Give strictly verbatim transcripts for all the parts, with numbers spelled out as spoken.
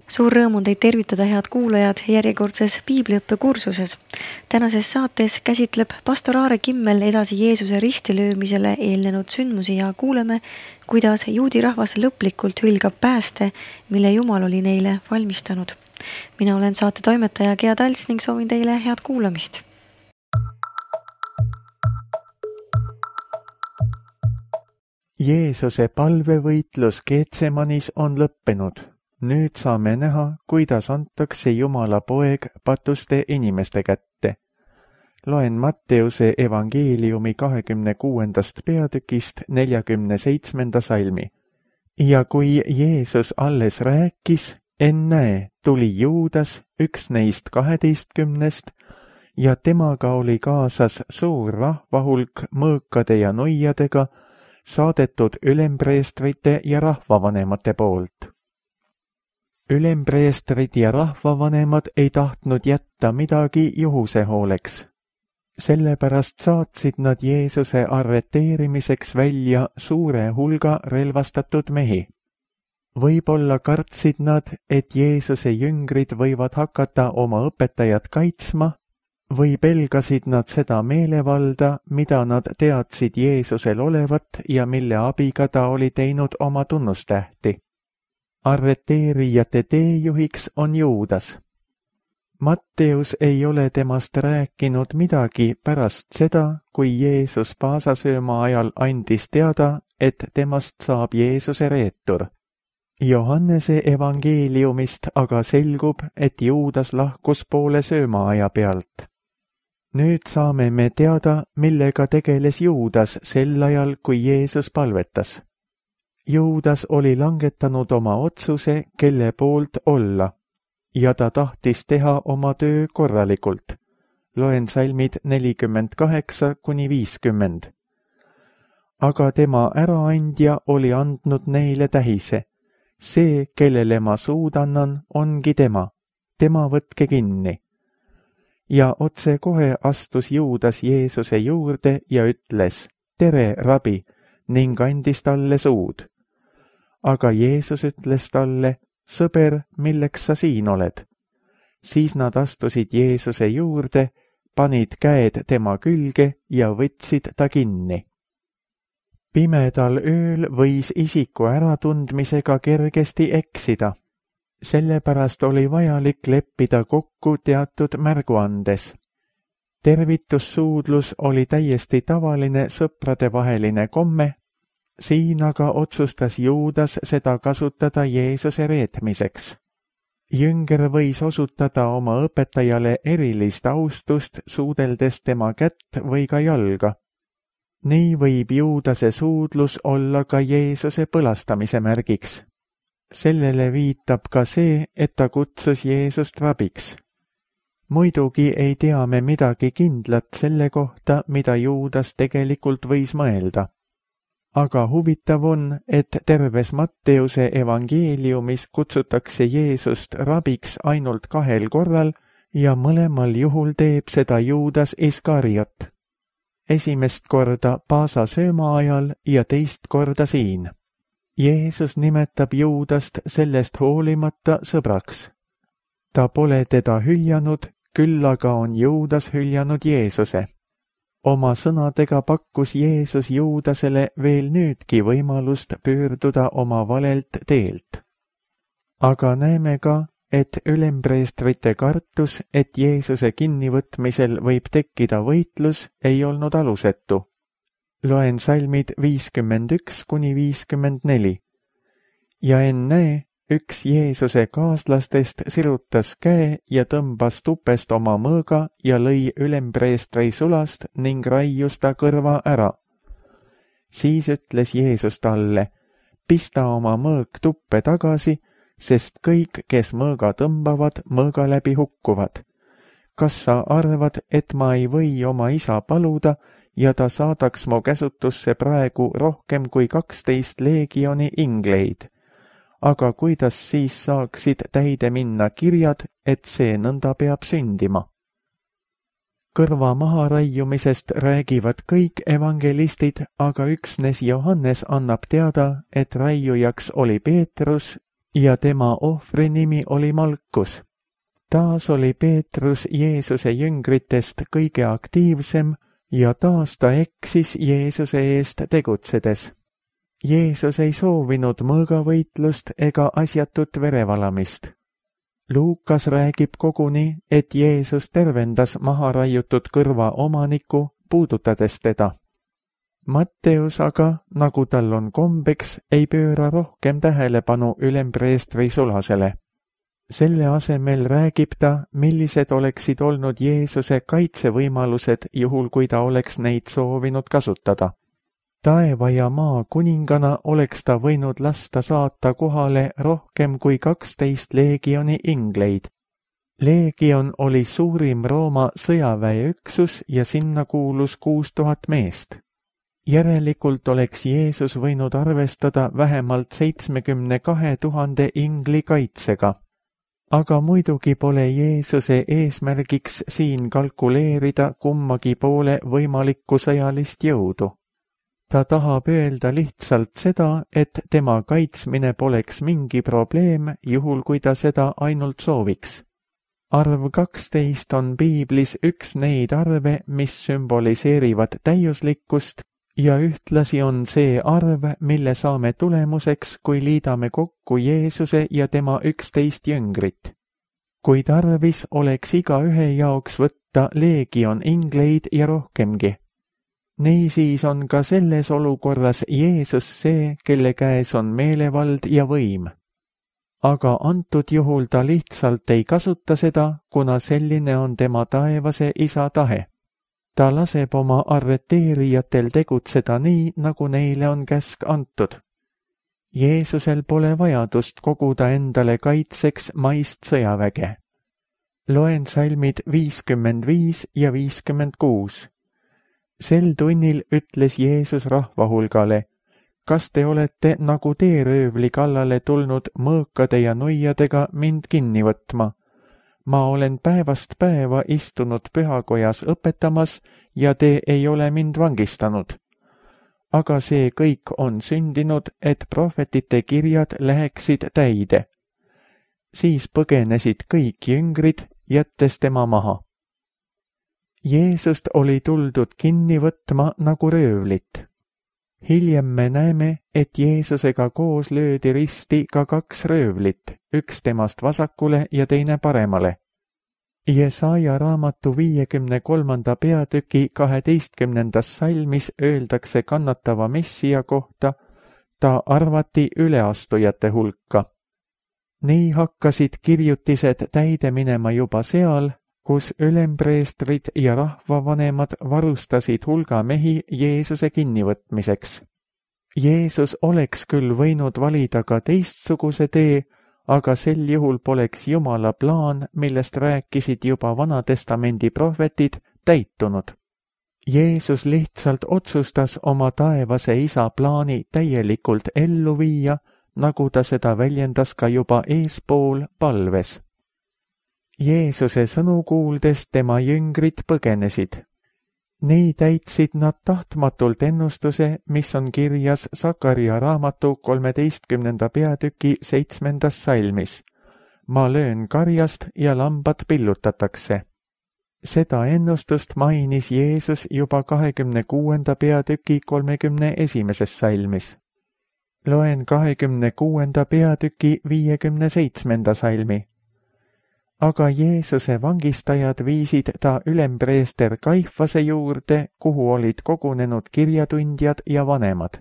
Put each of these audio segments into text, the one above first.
Suur rõõm on teid tervitada, head kuulajad, järjekordses piibliõppekursuses. Tänases saates käsitleb pastor Aare Kimmel edasi Jeesuse ristilöömisele eelnenud sündmusi ja kuuleme, kuidas juudi rahvas lõplikult hülgab pääste, mille Jumal oli neile valmistanud. Mina olen saate toimetaja Gea Talts ning soovin teile head kuulamist. Jeesuse palvevõitlus Getsemanis on lõppenud. Nüüd saame näha, kuidas antakse Jumala poeg patuste inimeste kätte. Loen Matteuse evangeeliumi kahekümne kuuendast peatükist neljakümne seitsmenda salmi. Ja kui Jeesus alles rääkis, ennäe, tuli Juudas, üks neist kaheteistkümnest, ja temaga oli kaasas suur rahvahulk mõõkade ja nuiadega, saadetud ülempreestrite ja rahvavanemate poolt. Ülempreestrid ja rahvavanemad ei tahtnud jätta midagi juhuse hooleks. Sellepärast saatsid nad Jeesuse arreteerimiseks välja suure hulga relvastatud mehi. Võib-olla kartsid nad, et Jeesuse jüngrid võivad hakata oma õpetajat kaitsma, või pelgasid nad seda meelevalda, mida nad teadsid Jeesusel olevat ja mille abiga ta oli teinud oma tunnustähti. Arreteerijate teejuhiks on Juudas. Matteus ei ole temast rääkinud midagi pärast seda, kui Jeesus paasasööma ajal andis teada, et temast saab Jeesuse reetur. Johannese evangeeliumist aga selgub, et Juudas lahkus poole söömaaja pealt. Nüüd saame me teada, millega tegeles Juudas sel ajal, kui Jeesus palvetas. Juudas oli langetanud oma otsuse, kelle poolt olla, ja ta tahtis teha oma töö korralikult. Loen salmid nelikümmend kaheksa kuni viiskümmend. Aga tema äraandja oli andnud neile tähise. See, kellele ma suud annan, ongi tema. Tema võtke kinni. Ja otsekohe astus Juudas Jeesuse juurde ja ütles, tere, rabi, ning andis talle suud. Aga Jeesus ütles talle, sõber, milleks sa siin oled? Siis nad astusid Jeesuse juurde, panid käed tema külge ja võtsid ta kinni. Pimedal ööl võis isiku äratundmisega kergesti eksida. Sellepärast oli vajalik leppida kokku teatud märguandes. Tervitussuudlus oli täiesti tavaline sõpradevaheline komme, siin aga otsustas Juudas seda kasutada Jeesuse reetmiseks. Jünger võis osutada oma õpetajale erilist austust, suudeldes tema kätt või ka jalga. Nii võib Juudase suudlus olla ka Jeesuse põlastamise märgiks. Sellele viitab ka see, et ta kutsus Jeesust rabiks. Muidugi ei tea me midagi kindlat selle kohta, mida Juudas tegelikult võis mõelda. Aga huvitav on, et terves Matteuse evangeeliumis kutsutakse Jeesust rabiks ainult kahel korral ja mõlemal juhul teeb seda Juudas Iskariot. Esimest korda paasasööma ajal ja teist korda siin. Jeesus nimetab Juudast sellest hoolimata sõbraks. Ta pole teda hüljanud, küll aga on Juudas hüljanud Jeesuse. Oma sõnadega pakkus Jeesus Juudasele veel nüüdki võimalust pöörduda oma valelt teelt. Aga näeme ka, et ülempreestrite kartus, et Jeesuse kinnivõtmisel võib tekkida võitlus, ei olnud alusetu. Loen salmid viiskümmend üks kuni viiskümmend neli. Ja ennäe, üks Jeesuse kaaslastest sirutas käe ja tõmbas tupest oma mõõga ja lõi ülempreestri sulast ning raius ta kõrva ära. Siis ütles Jeesus talle, pista oma mõõg tuppe tagasi, sest kõik, kes mõõga tõmbavad, mõõga läbi hukkuvad. Kas sa arvad, et ma ei või oma isa paluda ja ta saadaks mu käsutusse praegu rohkem kui kaksteist leegioni ingleid? Aga kuidas siis saaksid täide minna kirjad, et see nõnda peab sündima? Kõrva maharaiumisest räägivad kõik evangelistid, aga üksnes Johannes annab teada, et raiujaks oli Peetrus ja tema ohvri nimi oli Malkus. Taas oli Peetrus Jeesuse jüngritest kõige aktiivsem ja taas ta eksis Jeesuse eest tegutsedes. Jeesus ei soovinud mõõgavõitlust ega asjatut verevalamist. Luukas räägib koguni, et Jeesus tervendas maha raiutud kõrva omaniku, puudutades teda. Matteus aga, nagu tal on kombeks, ei pööra rohkem tähelepanu ülempreestri sulasele. Selle asemel räägib ta, millised oleksid olnud Jeesuse kaitsevõimalused juhul, kui ta oleks neid soovinud kasutada. Taeva ja maa kuningana oleks ta võinud lasta saata kohale rohkem kui kaksteist leegioni ingleid. Leegion oli suurim Rooma sõjaväeüksus ja sinna kuulus kuus tuhat meest. Järelikult oleks Jeesus võinud arvestada vähemalt seitsmekümne kahe tuhande ingli kaitsega. Aga muidugi pole Jeesuse eesmärgiks siin kalkuleerida kummagi poole võimalikku sõjalist jõudu. Ta tahab öelda lihtsalt seda, et tema kaitsmine poleks mingi probleem, juhul kui ta seda ainult sooviks. Arv kaksteist on piiblis üks neid arve, mis sümboliseerivad täiuslikkust, ja ühtlasi on see arv, mille saame tulemuseks, kui liidame kokku Jeesuse ja tema üksteist jüngrit. Kui tarvis oleks igaühe jaoks võtta leegion ingleid ja rohkemgi. Niisiis on ka selles olukorras Jeesus see, kelle käes on meelevald ja võim. Aga antud juhul ta lihtsalt ei kasuta seda, kuna selline on tema taevase isa tahe. Ta laseb oma arreteerijatel tegutseda nii, nagu neile on käsk antud. Jeesusel pole vajadust koguda endale kaitseks maist sõjaväge. Loen salmid viiskümmend viis ja viiskümmend kuus. Sel tunnil ütles Jeesus rahvahulgale, kas te olete nagu teeröövli kallale tulnud mõõkade ja nuiadega mind kinni võtma? Ma olen päevast päeva istunud pühakojas õpetamas ja te ei ole mind vangistanud. Aga see kõik on sündinud, et prohvetite kirjad läheksid täide. Siis põgenesid kõik jüngrid, jättes tema maha. Jeesust oli tuldud kinni võtma nagu röövlit. Hiljem me näeme, et Jeesusega koos löödi risti ka kaks röövlit, üks temast vasakule ja teine paremale. Jesaja raamatu viiekümne kolmanda peatüki kaheteistkümnendas salmis öeldakse kannatava Messia kohta, ta arvati üleastujate hulka. Nii hakkasid kirjutised täide minema juba seal, kus ülempreestrid ja rahvavanemad varustasid hulga mehi Jeesuse kinnivõtmiseks. Jeesus oleks küll võinud valida ka teistsuguse tee, aga sel juhul poleks Jumala plaan, millest rääkisid juba Vanatestamendi prohvetid, täitunud. Jeesus lihtsalt otsustas oma taevase isa plaani täielikult ellu viia, nagu ta seda väljendas ka juba eespool palves. Jeesuse sõnu kuuldes tema jüngrid põgenesid. Nii täitsid nad tahtmatult ennustuse, mis on kirjas Sakaria raamatu kolmeteistkümnenda peatüki seitsmendas salmis. Ma löön karjast ja lambad pillutatakse. Seda ennustust mainis Jeesus juba kahekümne kuuenda peatüki kolmekümne esimeses salmis. Loen kahekümne kuuenda peatüki viiekümne seitsmenda salmi. Aga Jeesuse vangistajad viisid ta ülempreester Kaifase juurde, kuhu olid kogunenud kirjatundjad ja vanemad.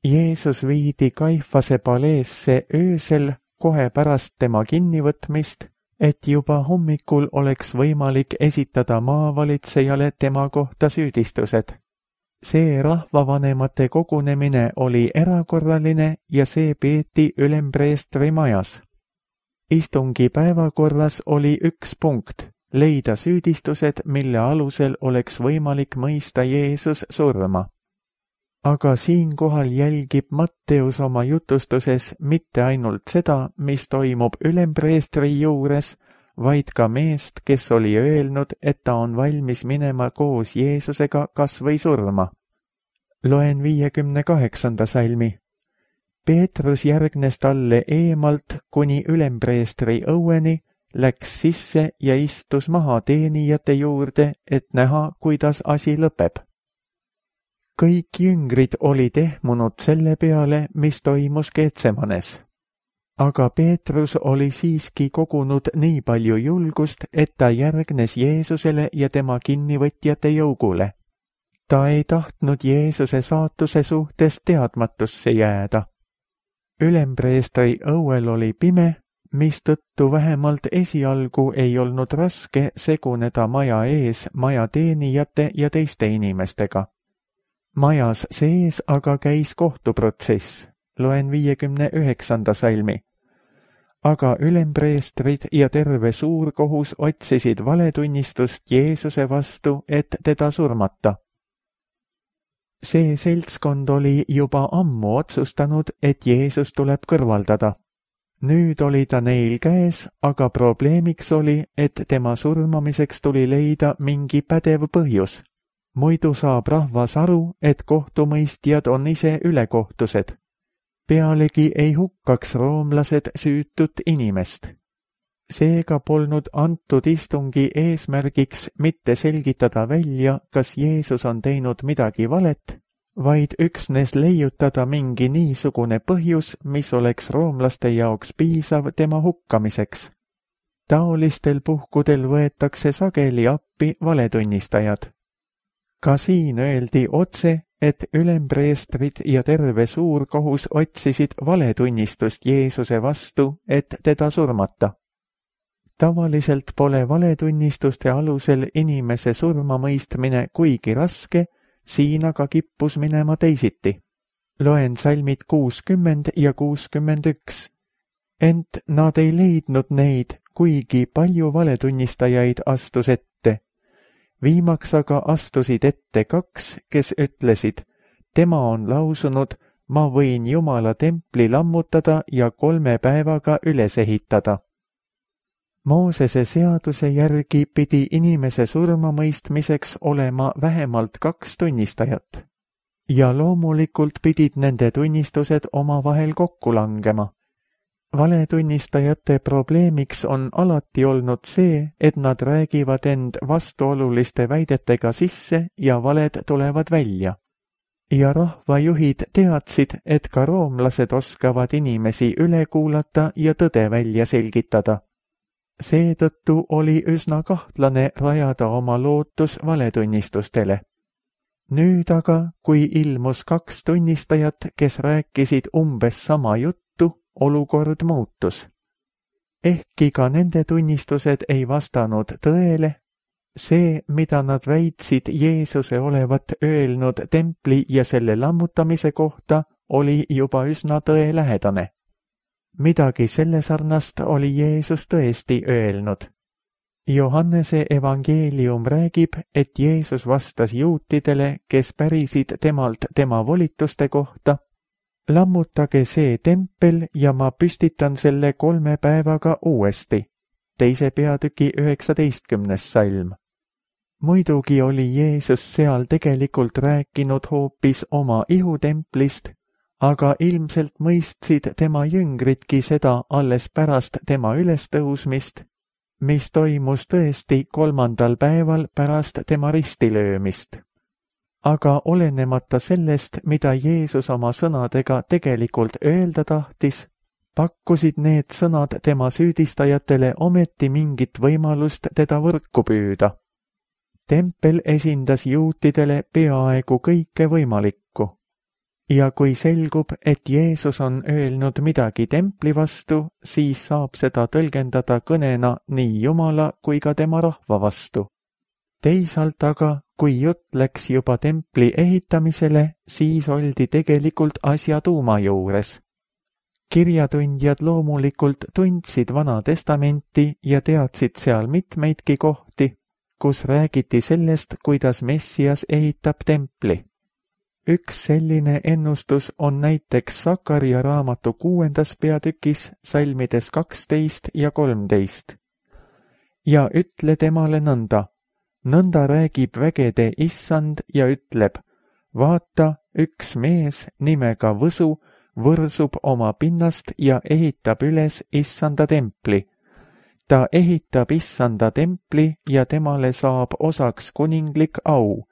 Jeesus viidi Kaifase paleesse öösel kohe pärast tema kinnivõtmist, et juba hommikul oleks võimalik esitada maavalitsejale tema kohta süüdistused. See rahvavanemate kogunemine oli erakorraline ja see peeti ülempreestri majas. Istungi päevakorras oli üks punkt, leida süüdistused, mille alusel oleks võimalik mõista Jeesus surma. Aga siinkohal jälgib Matteus oma jutustuses mitte ainult seda, mis toimub ülempreestri juures, vaid ka meest, kes oli öelnud, et ta on valmis minema koos Jeesusega kas või surma. Loen viiekümne kaheksanda salmi. Peetrus järgnes talle eemalt kuni ülempreestri õueni, läks sisse ja istus maha teenijate juurde, et näha, kuidas asi lõpeb. Kõik jüngrid olid ehmunud selle peale, mis toimus Getsemanes. Aga Peetrus oli siiski kogunud nii palju julgust, et ta järgnes Jeesusele ja tema kinnivõtjate jougule. Ta ei tahtnud Jeesuse saatuse suhtes teadmatusse jääda. Ülempreestri õuel oli pime, mistõttu vähemalt esialgu ei olnud raske seguneda maja ees maja teenijate ja teiste inimestega. Majas sees aga käis kohtuprotsess, loen viiekümne üheksanda salmi. Aga ülempreestrid ja terve suurkohus otsisid valetunnistust Jeesuse vastu, et teda surmata. See seltskond oli juba ammu otsustanud, et Jeesus tuleb kõrvaldada. Nüüd oli ta neil käes, aga probleemiks oli, et tema surmamiseks tuli leida mingi pädev põhjus. Muidu saab rahvas aru, et kohtumõistjad on ise ülekohtused. Pealegi ei hukkaks roomlased süütut inimest. Seega polnud antud istungi eesmärgiks mitte selgitada välja, kas Jeesus on teinud midagi valet, vaid üksnes leiutada mingi niisugune põhjus, mis oleks roomlaste jaoks piisav tema hukkamiseks. Taolistel puhkudel võetakse sageli appi valetunnistajad. Ka siin öeldi otse, et ülempreestrid ja terve suurkohus otsisid valetunnistust Jeesuse vastu, et teda surmata. Tavaliselt pole valetunnistuste alusel inimese surmamõistmine kuigi raske, siin aga kippus minema teisiti. Loen salmid kuuskümmend ja kuuskümmend üks. Ent nad ei leidnud neid, kuigi palju valetunnistajaid astus ette. Viimaks aga astusid ette kaks, kes ütlesid, tema on lausunud, ma võin Jumala templi lammutada ja kolme päevaga üles ehitada. Moosese seaduse järgi pidi inimese surmamõistmiseks olema vähemalt kaks tunnistajat. Ja loomulikult pidid nende tunnistused omavahel kokku langema. Valetunnistajate probleemiks on alati olnud see, et nad räägivad end vastuoluliste väidetega sisse ja valed tulevad välja. Ja rahvajuhid teadsid, et ka roomlased oskavad inimesi üle kuulata ja tõde välja selgitada. Seetõttu oli üsna kahtlane rajada oma lootus valetunnistustele. Nüüd aga, kui ilmus kaks tunnistajat, kes rääkisid umbes sama juttu, olukord muutus. Ehkki ka nende tunnistused ei vastanud tõele, see, mida nad väitsid Jeesuse olevat öelnud templi ja selle lammutamise kohta, oli juba üsna tõelähedane. Midagi selle sarnast oli Jeesus tõesti öelnud. Johannese evangeelium räägib, et Jeesus vastas juutidele, kes pärisid temalt tema volituste kohta, lammutage see tempel ja ma püstitan selle kolme päevaga uuesti. Teise peatüki üheksateistkümnes salm. Muidugi oli Jeesus seal tegelikult rääkinud hoopis oma ihutemplist, aga ilmselt mõistsid tema jüngridki seda alles pärast tema ülestõusmist, mis toimus tõesti kolmandal päeval pärast tema ristilöömist. Aga olenemata sellest, mida Jeesus oma sõnadega tegelikult öelda tahtis, pakkusid need sõnad tema süüdistajatele ometi mingit võimalust teda võrku püüda. Tempel esindas juutidele peaaegu kõike võimalikku. Ja kui selgub, et Jeesus on öelnud midagi templi vastu, siis saab seda tõlgendada kõnena nii Jumala kui ka tema rahva vastu. Teisalt aga, kui jutt läks juba templi ehitamisele, siis oldi tegelikult asja tuuma juures. Kirjatundjad loomulikult tundsid Vana Testamenti ja teadsid seal mitmeidki kohti, kus räägiti sellest, kuidas Messias ehitab templi. Üks selline ennustus on näiteks Sakaria raamatu kuuendas peatükis salmides kaksteist ja kolmteist. Ja ütle temale nõnda, nõnda räägib vägede issand ja ütleb, vaata, üks mees nimega Võsu võrsub oma pinnast ja ehitab üles issanda templi. ta ehitab issanda templi ja temale saab osaks kuninglik au.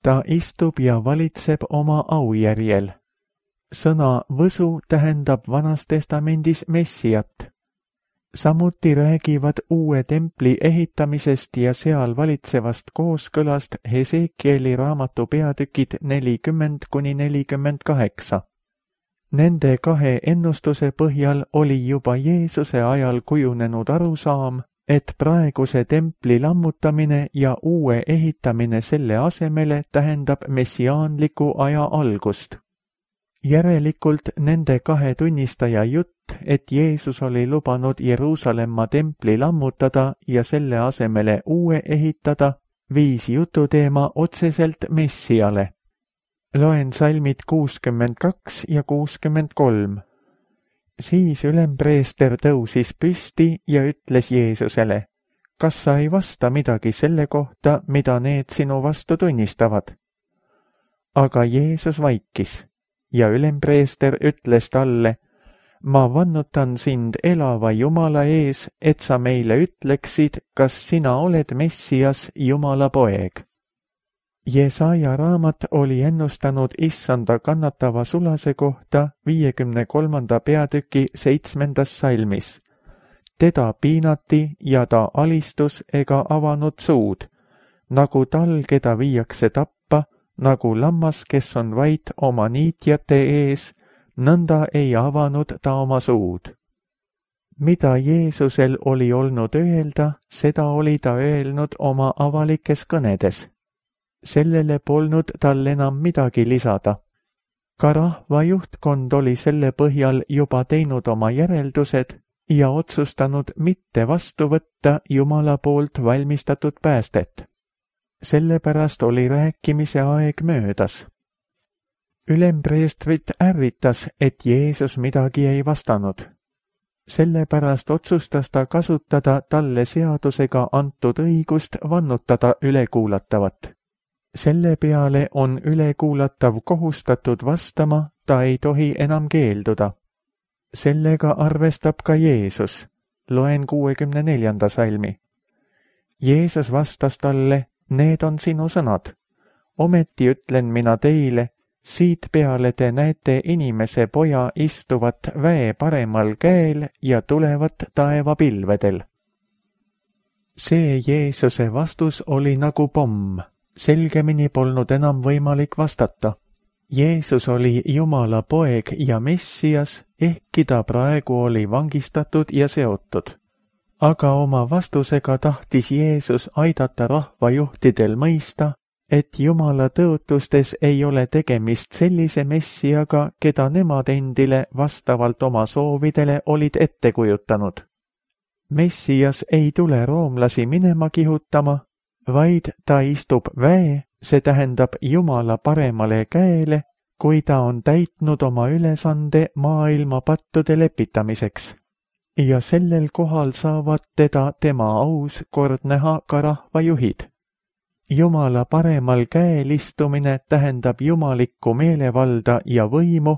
ta istub ja valitseb oma aujärjel. sõna võsu tähendab Vanas Testamendis Messiat. samuti räägivad uue templi ehitamisest ja seal valitsevast kooskõlast Hesekieli raamatu peatükid nelikümmend kuni nelikümmend kaheksa. Nende kahe ennustuse põhjal oli juba Jeesuse ajal kujunenud arusaam, et praeguse templi lammutamine ja uue ehitamine selle asemele tähendab messiaanliku aja algust. Järelikult nende kahe tunnistaja jutt, et Jeesus oli lubanud Jeruusalemma templi lammutada ja selle asemele uue ehitada, viis jututeema otseselt Messiale. Loen salmid kuuskümmend kaks ja kuuskümmend kolm. Siis ülempreester tõusis püsti ja ütles Jeesusele, kas sa ei vasta midagi selle kohta, mida need sinu vastu tunnistavad? Aga Jeesus vaikis ja ülempreester ütles talle, ma vannutan sind elava Jumala ees, et sa meile ütleksid, kas sina oled Messias, Jumala poeg. Jesaja raamat oli ennustanud issanda kannatava sulase kohta viiekümne kolmanda peatüki seitsmendas salmis. Teda piinati ja ta alistus ega avanud suud, nagu tal, keda viiakse tappa, nagu lammas, kes on vait oma niitjate ees, nõnda ei avanud ta oma suud. Mida Jeesusel oli olnud öelda, seda oli ta öelnud oma avalikes kõnedes. Sellele polnud tal enam midagi lisada. Ka rahva juhtkond oli selle põhjal juba teinud oma järeldused ja otsustanud mitte vastu võtta Jumala poolt valmistatud päästet. Sellepärast oli rääkimise aeg möödas. Ülempreestrit ärritas, et Jeesus midagi ei vastanud. Sellepärast otsustas ta kasutada talle seadusega antud õigust vannutada ülekuulatavat. Selle peale on ülekuulatav kohustatud vastama, ta ei tohi enam keelduda. Sellega arvestab ka Jeesus. Loen kuuekümne neljanda salmi. Jeesus vastas talle, need on sinu sõnad. Ometi ütlen mina teile, siit peale te näete inimese poja istuvat väe paremal käel ja tulevat taevapilvedel. See Jeesuse vastus oli nagu pomm. Selgemini polnud enam võimalik vastata. Jeesus oli Jumala poeg ja Messias, ehkki ta praegu oli vangistatud ja seotud. Aga oma vastusega tahtis Jeesus aidata rahvajuhtidel mõista, et Jumala tõotustes ei ole tegemist sellise Messiaga, keda nemad endile vastavalt oma soovidele olid ette kujutanud. Messias ei tule roomlasi minema kihutama, vaid ta istub väe, see tähendab Jumala paremale käele, kui ta on täitnud oma ülesande maailma pattude lepitamiseks. Ja sellel kohal saavad teda tema aus kord näha ka rahvajuhid. Jumala paremal käel istumine tähendab jumalikku meelevalda ja võimu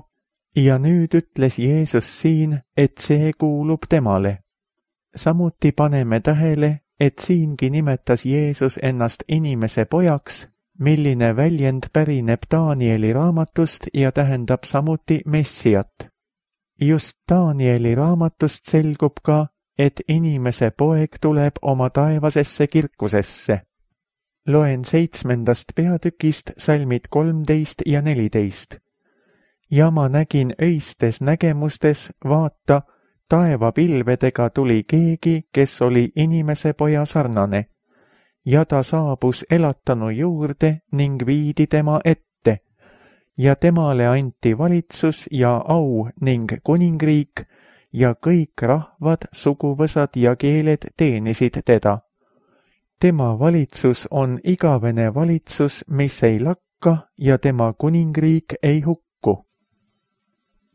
ja nüüd ütles Jeesus siin, et see kuulub temale. Samuti paneme tähele, et siingi nimetas Jeesus ennast inimese pojaks, milline väljend pärineb Danieli raamatust ja tähendab samuti Messiat. Just Danieli raamatust selgub ka, et inimese poeg tuleb oma taevasesse kirkusesse. Loen seitsmendast peatükist salmid kolmteist ja neliteist. Ja ma nägin öistes nägemustes, vaata, taevapilvedega tuli keegi, kes oli inimese poja sarnane, ja ta saabus elatanu juurde ning viidi tema ette, ja temale anti valitsus ja au ning kuningriik, ja kõik rahvad, suguvõsad ja keeled teenisid teda. Tema valitsus on igavene valitsus, mis ei lakka, ja tema kuningriik ei hukku.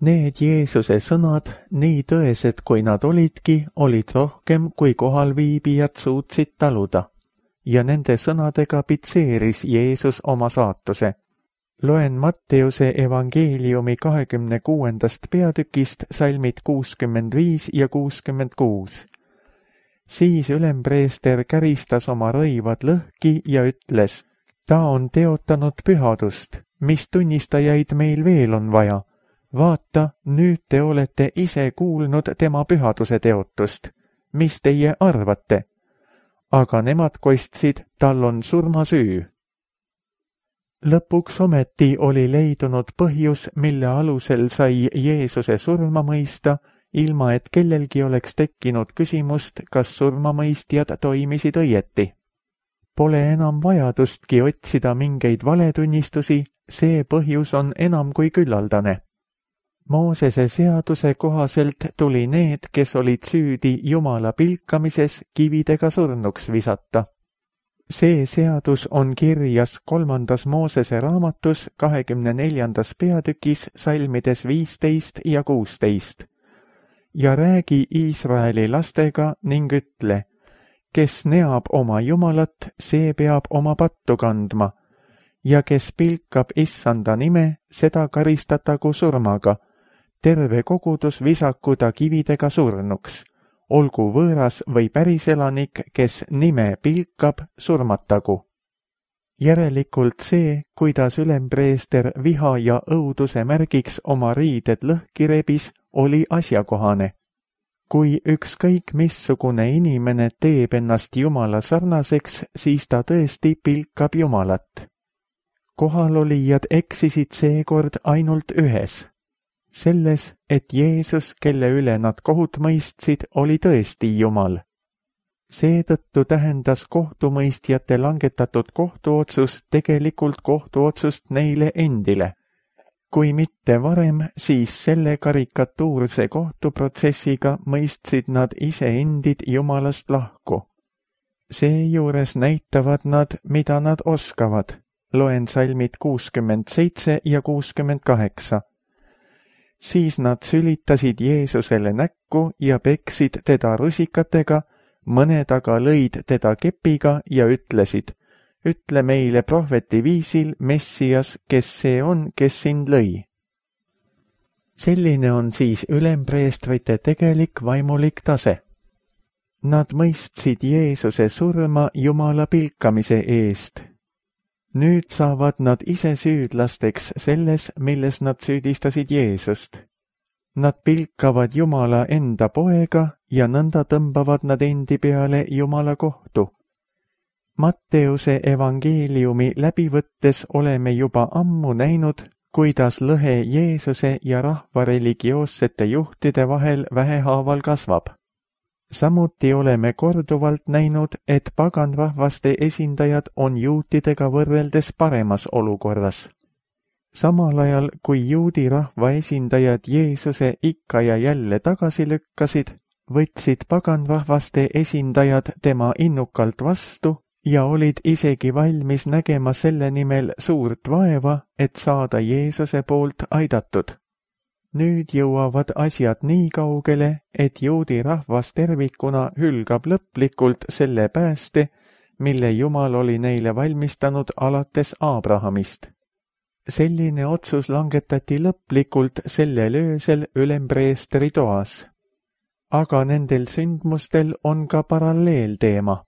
Need Jeesuse sõnad, nii tõesed kui nad olidki, olid rohkem kui kohalviibijad suutsid taluda, ja nende sõnadega pitseeris Jeesus oma saatuse. Loen Matteuse evangeeliumi kahekümne kuuendast peatükist salmid kuuskümmend viis ja kuuskümmend kuus. Siis ülempreester käristas oma rõivad lõhki ja ütles, ta on teotanud pühadust, mis tunnistajaid meil veel on vaja. Vaata, nüüd te olete ise kuulnud tema pühaduse teotust. Mis teie arvate? Aga nemad kostsid, tal on surmasüü. Lõpuks ometi oli leidunud põhjus, mille alusel sai Jeesuse surma mõista, ilma et kellelgi oleks tekkinud küsimust, kas surmamõistjad toimisid õieti. Pole enam vajadustki otsida mingeid valetunnistusi, see põhjus on enam kui küllaldane. Moosese seaduse kohaselt tuli need, kes olid süüdi Jumala pilkamises, kividega surnuks visata. See seadus on kirjas kolmandas Moosese raamatus kahekümne neljandas peatükis salmides viisteist ja kuusteist. Ja räägi Iisraeli lastega ning ütle, kes neab oma Jumalat, see peab oma pattu kandma, ja kes pilkab issanda nime, seda karistatagu surmaga. Terve kogudus visaku ta kividega surnuks, olgu võõras või päriselanik, kes nime pilkab, surmatagu. Järelikult see, kuidas ülempreester viha ja õuduse märgiks oma riided lõhki rebis, oli asjakohane. Kui ükskõik missugune inimene teeb ennast Jumala sarnaseks, siis ta tõesti pilkab Jumalat. Kohalolijad eksisid seekord ainult ühes. Selles, et Jeesus, kelle üle nad kohut mõistsid, oli tõesti Jumal. Seetõttu tähendas kohtumõistjate langetatud kohtuotsus tegelikult kohtuotsust neile endile. Kui mitte varem, siis selle karikatuurse kohtuprotsessiga mõistsid nad iseendid Jumalast lahku. Seejuures näitavad nad, mida nad oskavad. Loen salmid kuuskümmend seitse ja kuuskümmend kaheksa. Siis nad sülitasid Jeesusele näkku ja peksid teda rusikatega, mõned aga lõid teda kepiga ja ütlesid, ütle meile prohveti viisil, Messias, kes see on, kes sind lõi. Selline on siis ülempreestrite tegelik vaimulik tase. Nad mõistsid Jeesuse surma Jumala pilkamise eest. Nüüd saavad nad ise süüdlasteks selles, milles nad süüdistasid Jeesust. Nad pilkavad Jumala enda poega ja nõnda tõmbavad nad endi peale Jumala kohtu. Matteuse evangeeliumi läbivõttes oleme juba ammu näinud, kuidas lõhe Jeesuse ja rahva religioossete juhtide vahel vähehaaval kasvab. Samuti oleme korduvalt näinud, et paganrahvaste esindajad on juutidega võrreldes paremas olukorras. Samal ajal, kui juudi rahva esindajad Jeesuse ikka ja jälle tagasi lükkasid, võtsid paganrahvaste esindajad tema innukalt vastu ja olid isegi valmis nägema selle nimel suurt vaeva, et saada Jeesuse poolt aidatud. Nüüd jõuavad asjad nii kaugele, et juudi rahvas tervikuna hülgab lõplikult selle pääste, mille Jumal oli neile valmistanud alates Abrahamist. Selline otsus langetati lõplikult sellel öösel ülempreestri toas. Aga nendel sündmustel on ka paralleelteema.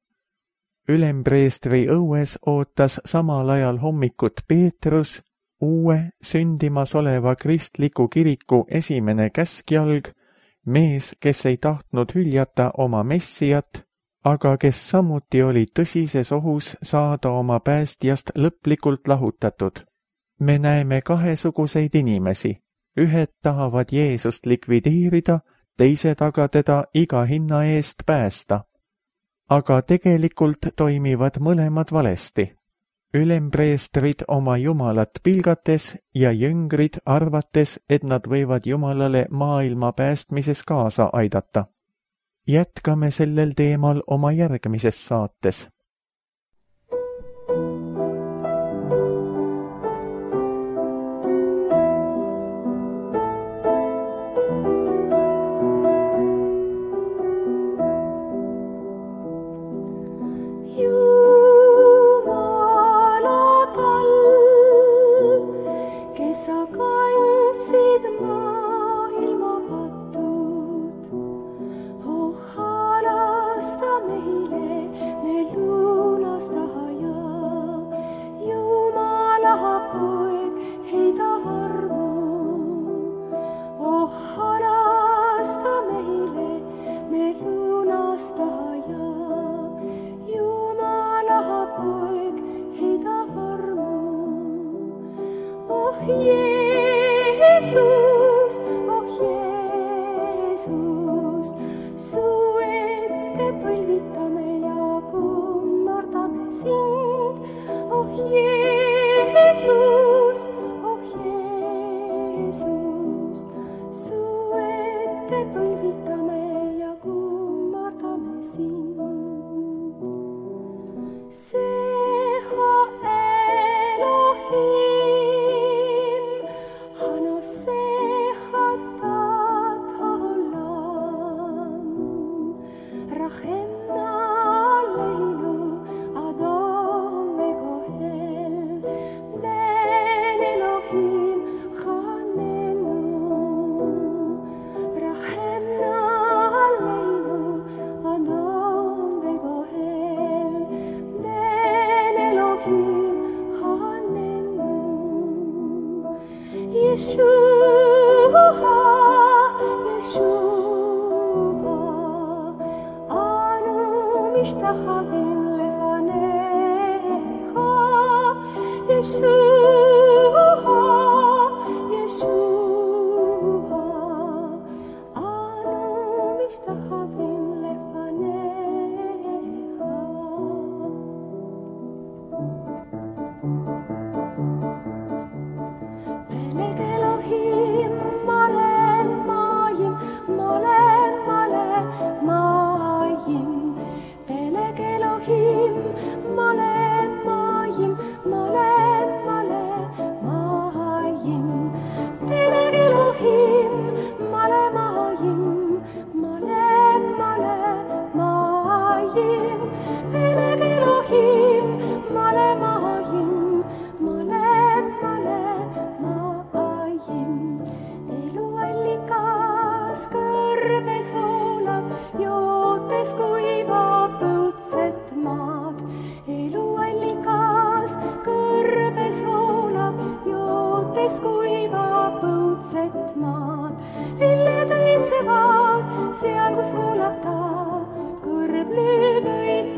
Ülempreestri õues ootas samal ajal hommikut Peetrus, uue sündimas oleva kristliku kiriku esimene käskjalg, mees, kes ei tahtnud hüljata oma messiat, aga kes samuti oli tõsises ohus saada oma päästjast lõplikult lahutatud. Me näeme kahesuguseid inimesi. Ühed tahavad Jeesust likvideerida, teised aga teda iga hinna eest päästa. Aga tegelikult toimivad mõlemad valesti. Ülempreestrid oma Jumalat pilgates ja jüngrid arvates, et nad võivad Jumalale maailma päästmises kaasa aidata. Jätkame sellel teemal oma järgmises saates. Seal, kus voolab ta, kõrb lööb õig